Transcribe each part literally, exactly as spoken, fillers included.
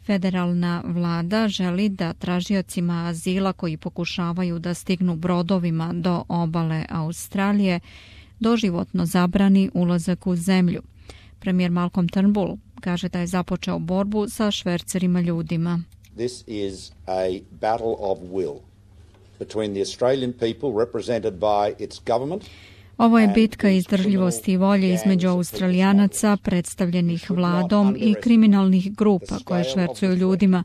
Federalna vlada želi da tražiocima azila koji pokušavaju da stignu brodovima do obale Australije doživotno zabrani ulazak u zemlju. Premijer Malcolm Turnbull kaže da je započeo borbu sa švercerima ljudima. This is a battle of will between the Australian people represented by its government. Ovo je bitka izdržljivosti i volje između Australijanaca predstavljenih vladom i kriminalnih grupa koje švercuju ljudima.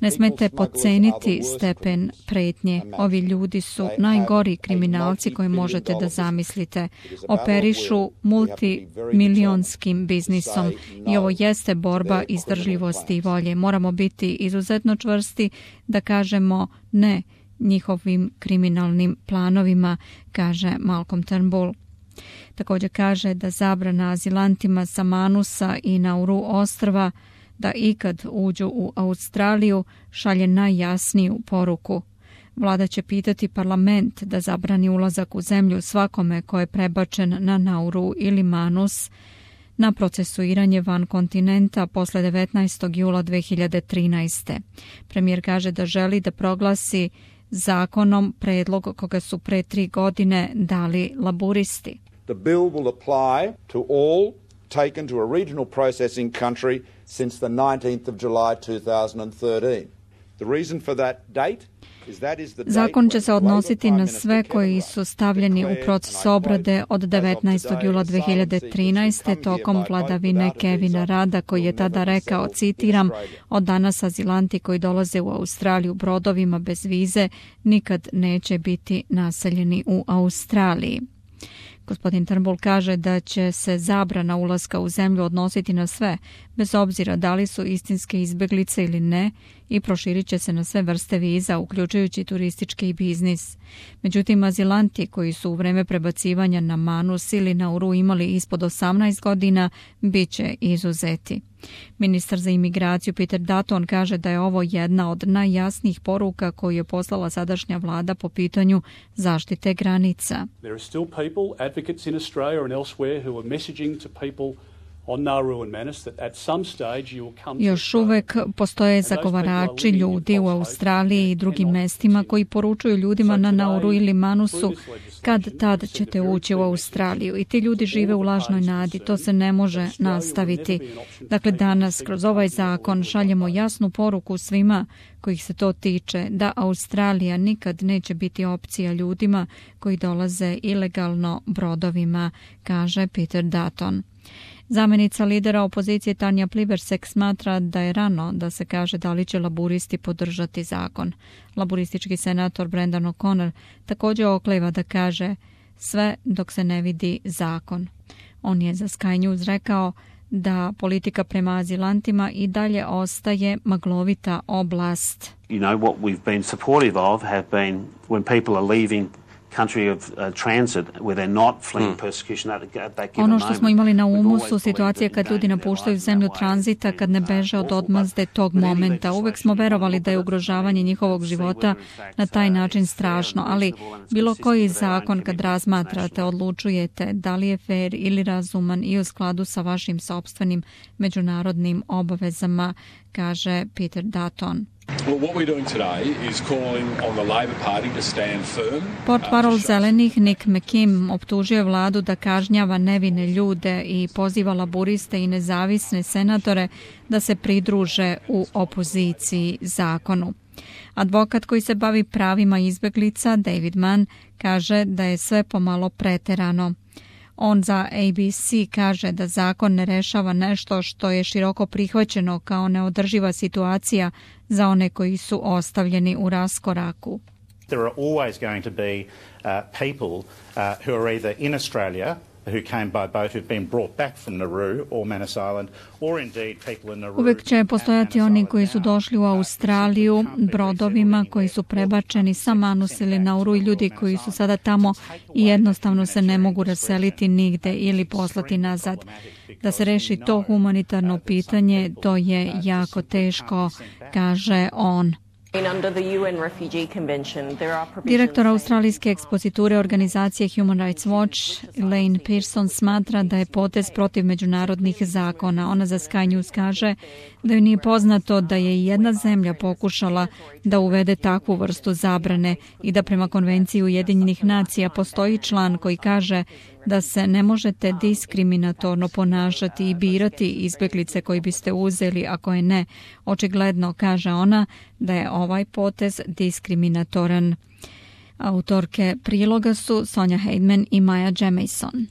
Ne smete podceniti stepen pretnje. Ovi ljudi su najgori kriminalci koje možete da zamislite. Operišu multimilijonskim biznisom i ovo jeste borba izdržljivosti i volje. Moramo biti izuzetno čvrsti da kažemo ne njihovim kriminalnim planovima, kaže Malcolm Turnbull. Također kaže da zabrana azilantima sa Manusa i Nauru ostrva da ikad uđu u Australiju šalje najjasniju poruku. Vlada će pitati parlament da zabrani ulazak u zemlju svakome ko je prebačen na Nauru ili Manus na procesuiranje van kontinenta posle devetnaestog jula dve hiljade trinaeste. Premijer kaže da želi da proglasi zakonom predlog koga su pre tri godine dali laburisti. The bill will apply to all taken to a regional processing country since the nineteenth of July two thousand thirteen. The reason for that date is that is the Zakon će se odnositi na sve koji su stavljeni u proces obrade od devetnaestog jula dve hiljade trinaeste tokom vladavine Kevina Rada, koji je tada rekao, citiram, od danas azilanti koji dolaze u Australiju brodovima bez vize nikad neće biti naseljeni u Australiji. Gospodin Turnbull kaže da će se zabrana ulaska u zemlju odnositi na sve, bez obzira da li su istinske izbeglice ili ne, i proširit će se na sve vrste viza, uključujući turistički i biznis. Međutim, azilanti koji su u vreme prebacivanja na Manus ili Nauru imali ispod osamnaest godina, bit će izuzeti. Ministar za imigraciju Peter Dutton kaže da je ovo jedna od najjasnijih poruka koju je poslala sadašnja vlada po pitanju zaštite granica. There are still people, advocates in Australia and elsewhere who are messaging to people on Nauru and Manus that at some stage you will come to. Još uvek postoje zagovarači ljudi u Australiji i drugim mestima koji poručuju ljudima na Nauru ili Manusu kad tad ćete ući u Australiju i ti ljudi žive u lažnoj nadi. To se ne može nastaviti. Dakle, danas kroz ovaj zakon šaljemo jasnu poruku svima kojih se to tiče da Australija nikad neće biti opcija ljudima koji dolaze ilegalno brodovima, kaže Peter Dutton. Zamenica lidera opozicije Tanja Plibersek smatra da je rano da se kaže da li će laburisti podržati zakon. Laburistički senator Brendan O'Connor također okleva da kaže sve dok se ne vidi zakon. On je za Sky News rekao da politika prema azilantima i dalje ostaje maglovita oblast. You know what we've been supportive of have been when people are leaving country of uh, transit where they're not fleeing persecution at that given Ono što smo imali na umu su situacije that kad ljudi napuštaju zemlju tranzita, kad ne beže od odmazde tog momenta. Uvek smo verovali da je ugrožavanje njihovog života na taj način strašno, ali bilo koji zakon kad razmatrate odlučujete da li je fair ili razuman i u skladu sa vašim sopstvenim međunarodnim obavezama, kaže Peter Dutton. Well, what we're doing today is calling on the Labor Party to stand firm. Portparol zelenih Nick McKim optužio vladu da kažnjava nevine ljude i poziva laburiste i nezavisne senatore da se pridruže u opoziciji zakonu. Advokat koji se bavi pravima izbeglica, David Mann, kaže da je sve pomalo preterano. On za A B C kaže da zakon ne rešava nešto što je široko prihvaćeno kao neodrživa situacija za one koji su ostavljeni u raskoraku. There are always going to be uh, people uh, who are either in Australia who came by boat who've been brought back from Nauru or Manus Island, or indeed people in Nauru. Uvek će postojati oni koji su došli u Australiju brodovima koji su prebačeni sa Manus ili Nauru i ljudi koji su sada tamo i jednostavno se ne mogu raseliti nigde ili poslati nazad. Da se reši to humanitarno pitanje, to je jako teško, kaže on. Direktor australijske ekspoziture organizacije Human Rights Watch, Elaine Pearson, smatra da je potez protiv međunarodnih zakona. Ona za Sky News kaže da joj nije poznato da je jedna zemlja pokušala da uvede takvu vrstu zabrane i da prema Konvenciji Ujedinjenih nacija postoji član koji kaže da se ne možete diskriminatorno ponašati i birati izbjeglice koji biste uzeli, ako je ne. Očigledno, kaže ona, da je ovaj potez diskriminatoran. Autorke priloga su Sonja Heidman i Maja Jamieson.